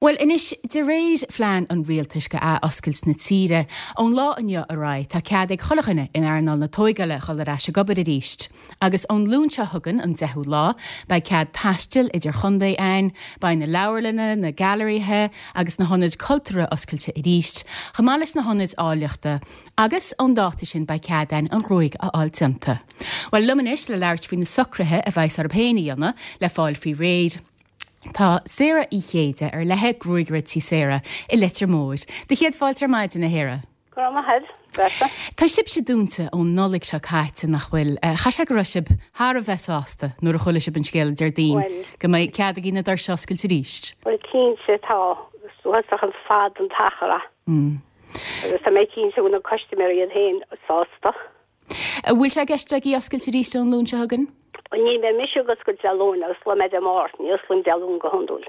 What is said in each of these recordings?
Bhuel anois, de réir phlean an rialtais go ath-oscailt na tíre, ón lá inniu ar aghaidh, tá cead ag chuile dhuine in earnáil na tóigeála dhul ar ais ag obair arís. Agus ón Luan seo chugainn, an 10ú lá, beidh cead taistil idir chontae ann, beidh na leabharlanna, na gailearaithe agus na hionaid cultúrtha oscailte arís, chomh maith leis na hionaid áilleachta. Agus ón dáta sin beidh cead ann an ghruaig a fháil déanta. Bhuel, liom anois le labhairt faoi na socruithe a bheas orthu féin a dhéanamh le fáil faoi réir, Tá Sarah Uí Chéide ar leithe Gruagaire Tí Sarah i Leitir Móir. Do chéad fáilte ar maidin, a Shara. Go raibh maith agat, Treasa. Tá sibhse dúnta ón Nollaig seo caite, nach bhfuil? Chaithfidh sé go raibh sibh thar a bheith sásta nuair a chuala sibh an scéal Déardaoin go mbeidh cead agaibh na doirse a oscailt arís. Bhuel, cinnte tá. Is uafásach an fad an t-achar é. Agus tá mé cinnte go bhfuil na custaiméirí iad féin sásta. An bhfuil sé i gceist agaibh oscailt arís ón Luan seo chugainn? Ní bheidh mise ag oscailt Dé Luain, osclóidh mé Dé Máirt, ní osclaím Dé Luain go hiondúil.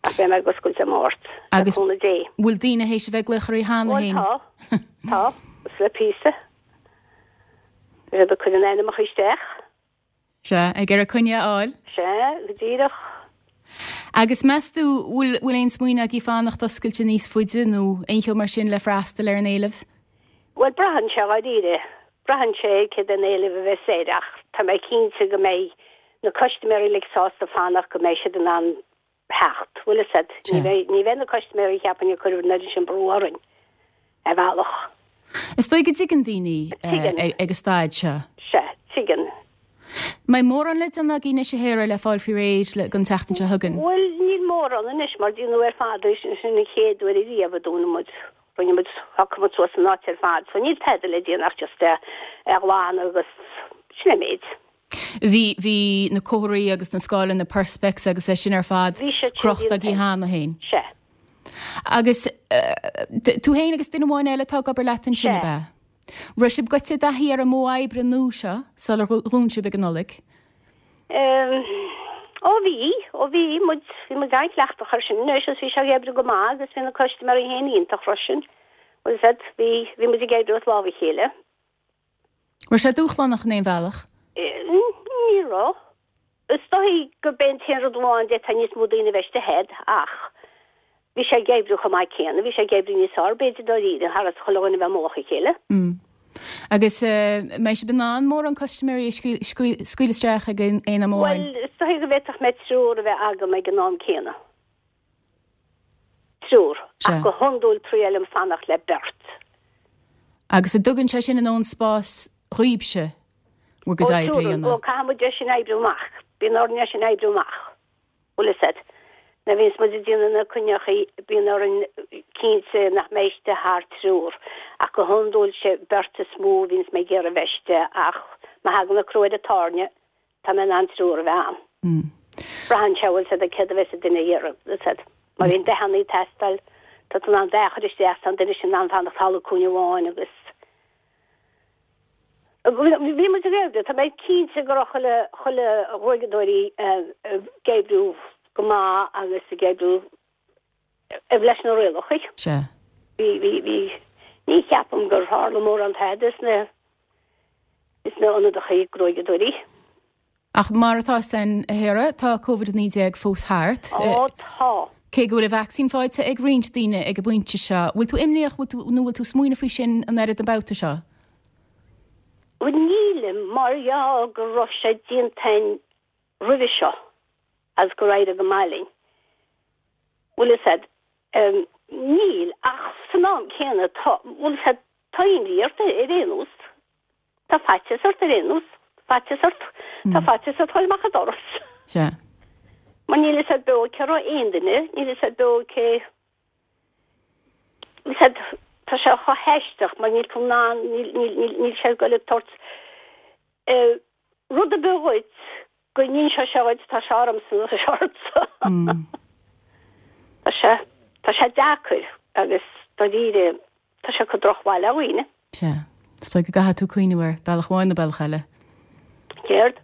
Ach beidh mé ag oscailt Dé Máirt, le Agus cúnamh Dé. bhfuil daoine théis a bheith ag glaoch oraibh cheana Bhuel féin? tá, tá, is le píosa. Tá siad ag cur a n-ainmneacha isteach. Sea, ag iarraidh coinne a fháil. Sea, go díreach. Agus meas tú, bhfuil, bhfuil aon smaoineamh agaibh fanacht oscailte níos faide nó aon cheo mar sin le freastal ar an éileamh? Bhuel, braitheann sé dháiríre. Braitheann sé céard é an éileamh a bheas air ach tá mé cinnte go mbeidh na custaiméirí uilig sásta fanacht go mbeidh siad in ann theacht. Bhfuil fhios a'd, ní bheidh, ní bheidh na custaiméirí cheapfainn ag cur an oiread sin brú orainn, ar bhealach. Is dóigh go dtuigeann daoine ag an staid seo. Sea, tuigeann. Mbeidh mórán le déanamh agaibh anois a Shara le fáil faoi réir le don tseachtain seo chugainn? Bhuel, níl mórán anois mar déanadh ar fad é sin, sin an chéad uair ariamh a dúnadh muid, rinne muid, shocraigh muid suas an áit ar fad, so níl tada le déanamh ach just é a ghlanadh agus sin é an méid. Bhí, bhí na comharthaí agus na scáileanna perspex agus é sin ar fad Bhí siad sin crochta agaibh cheana féin. Sea. Agus tú féin agus duine amháin eile atá ag obair leat ansin, ab Sea. ea? Raibh sibh goite i dtaithí ar an modh oibre nua seo sular dhún sibh ag an Nollaig? Ó bhí, ó bhí muid, bhí muid an-chleachtach air sin anois agus bhí sé ag oibriú go maith agus bhí na custaiméirí féin iontach freisin. Bhfuil fhios a'd, bhí, bhí muid ag oibriú as lámh a chéile. Raibh sé dúshlánach in aon bhealach? Ní raibh. Is dóigh gurb é an t-aon rud amháin d'fhéadfadh níos mó daoine a bheith istigh a'd ach bhí sé ag oibriú chomh maith céanna. Bhí sé ag oibriú níos fearr b'fhéidir dáiríre thar is chuile dhuine a bheith i mullach a chéile. Agus mbeidh sibh in ann mórán custaiméirí a scaoileadh isteach ag aon am amháin? Bhuel, is dóigh go bhféadfadh mé triúr a bheith agam ag an am céanna. Triúr. Ach go hiondúil triailim fanacht le beirt. Agus an dtugann sé sin a ndóthain spáis dhaoibhse bhur gcuid oibre a dhéanamh? Ó, caithfidh muid é sin a oibriú amach. Bíonn orainn é sin a oibriú amach. Bhfuil fhios a'd. Nuair a bhíonns muid ag déanamh na coinneachaí bíonn orainn cinnte nach mbeidh istigh thar triúr. Ach go hiondúil sé beirt is mó a bhíonns mé ag iarraidh a bheith istigh ach má thagann an crú ar an tairne Tá mé in ann triúr a bheith ann. Braitheann sé, bhfuil fhios a'd céard a bheas an duine a iarraidh, bhfuil fhios a'd. Má bhíonn dathanna ag teastáil, tá tú in ann dath a chur isteach, tá an duine sin in ann fanacht thall i gcúinne amháin agus. Bhí muid ag oibriú, tá mé cinnte go raibh chuile, chuile ghruaigeadóirí ag oibriú go maith agus ag oibriú leis na rialacha. Sea. Bhí, bhí, bhí, ní cheapaim gur tharla mórán tada sna, sna ionadachaí gruaigeadóirí. Ach mar atá fhios a'inn, a Shara, tá Covid-19 fós thart. Ó, tá. Cé go bhfuil an vacsaín faighte ag roinnt daoine ag an bpointe seo, bhfuil tú imníoch, bhfuil tú, nó bhfuil tú smaoineamh faoi sin an oiread an babhta seo? Bhuel, nílim, mar gheall go raibh sé déanta a'inn roimhe seo agus gur éirigh go maith linn. Bhfuil fhios a'd, níl, ach san am céanna tá, bhfuil fhios a'd, tá imní ort ar aon nós. Tá faitíos ort ar aon nós. Faitíos ort, tá faitíos ort dhul amach an doras. Sea. Mar níl fhios a'd beo cé raibh aon duine, níl fhios a'd beo cé, bhfuil fhios a'd, tá sé chomh haisteach mar níl tú in ann, níl, níl, níl, níl sé ag goil ag tabhairt, eh, Rud ar bith dhuit, go n-inseoidh sé dhuit, tá sé ormsa nó tá sé ortsa. Tá sé, tá sé deacair agus dáiríre tá sé ag cur drochbhail ar dhaoine. Sea. Is dóigh go gcaithfidh tú cuimhneamh air, bealach amháin nó bealach eile. Céard?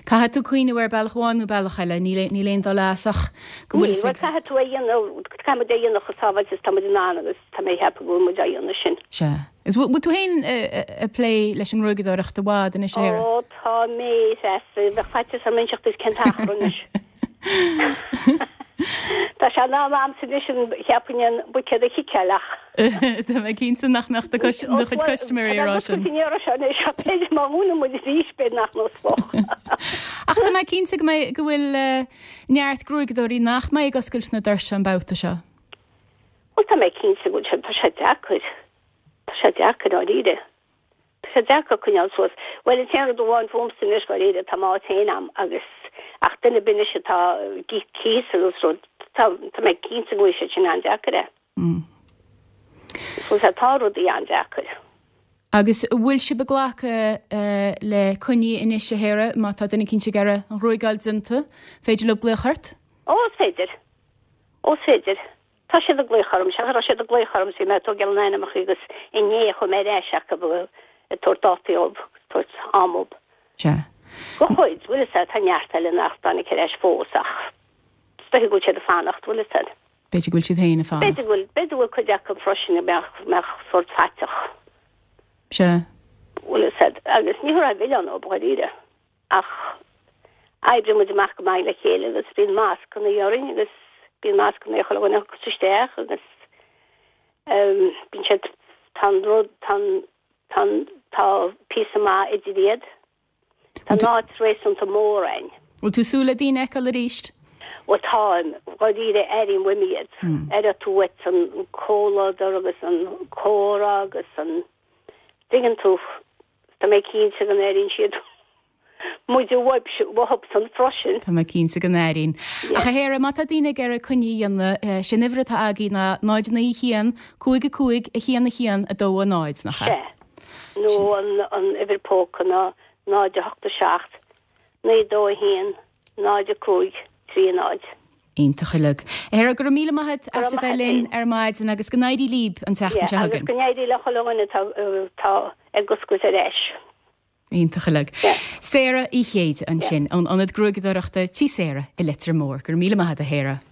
Caithfidh tú cuimhneamh air bealach amháin nó bealach eile, níl, níl aon dul as ach go bhfuil Níl, bhuel caithfidh tú é a dhéanamh, caithfidh muid é a dhéanamh chomh sábháilte is tá muid in ann agus tá mé ag ceapadh go bhfuil muid á dhéanamh sin. Sea. Is bhfuil tú féin ag plé leis an ngruaigeadóireacht i bhfad anois, a Shara? Ó, tá mé, a Threasa. Bheadh faitíos orm inseacht duit cén t-achar anois. Tá sé in am a'msa anois an cheapfainn an buicéad a chiceáil ach. Tá mé cinnte nach mbeadh do chuid custaiméirí ag rá sin. Ní raibh sé anois ach b'fhéidir má dhúnann muid arís b'fhéidir nach n-osclódh. Ach tá mé cinnte go mbeidh, go bhfuil neart gruaigeadóirí nach mbeidh ag oscailt na doirse an babhta seo. Bhuel tá mé cinnte go bhfuil sé, tá sé deacair. Tá sé deacair dáiríre. Tá sé deacair coinneáil suas. Bhuel, an t-aon rud amháin fúmsa anois, dháiríre, tá m'áit féin a'm agus, ach duine ar bith anois atá ag íoc cíos agus rud, tá, tá mé cinnte go bhfuil sé sin an-deacair é. So, tá rudaí an-deacair. Agus an bhfuil sibh ag glacadh le coinní anois, a Sharah, má tá duine eicínt ag iarraidh an ghruaigeáil déanta, féidir leo glaoch ort? Ó, is féidir. Ó, is féidir. Tá siad ag glaoch orm, sea, raibh siad ag glaoch orm, bhí mé ag tógáil na n-ainmneacha agus inné chuaigh mé ar ais acu ag tabhairt dátaí dhóibh, ag tabhairt am dhóibh. Sea. Go chuid, bhfuil fhios a'd, tá neart eile nach dtáinig ar ais fós ach is dóiche go bhfuil siad ag fanacht, bhfuil fhios a'd. B'fhéidir go bhfuil siad féin ag fanacht. B'fhéidir go bhfuil, b'fhéidir go bhfuil cuid acu freisin a mbeadh, mbeadh sórt faiteach. Sea. Bhfuil fhios a'd, agus ní thabharfá milleán dhóibh, dháiríre. Ach oibríonn muid amach go maith le chéile agus bíonn mascanna orainn agus bíonn mascanna ar chuile dhuine a thiocfas isteach agus bíonn siad, tá an rud, tá an, tá an, tá píosa maith idir iad. Tá an áit réasúnta mór a'inn. Bhfuil tú ag súil le daoine a fheiceáil arís? Bhuel táim, dháiríre airím uaim iad. Aireoidh tú uait an comhluadar agus an comhrá agus an, dtuigeann tú, Tá mé cinnte go n-airíonn siad muide uathubsan freisin. Tá mé cinnte go n-airíonn. Ach a Sharah, má tá daoine ag iarraidh coinne a dhéanamh, sé an uimhir atá agaibh ná 0 9 1 5 5 1 1 2 0, nach ea? Sea. Nó an uimhir póca ná 0 8 7 9 2 1 0 5 3 0. Iontach uilig. A Sharah, go raibh míle maith agat as a bheith linn ar maidin agus go n-éirí líb an tseachtain seo chugainn. Agus go n-éirí le chuile dhuine atá ag oscailt ar ais. Iontach uilig. Sarah Uí Chéide ansin ón Ionad Gruaigeadóireachta Tí Sarah i Leitir Móir. Go raibh míle maith agat a Sharah.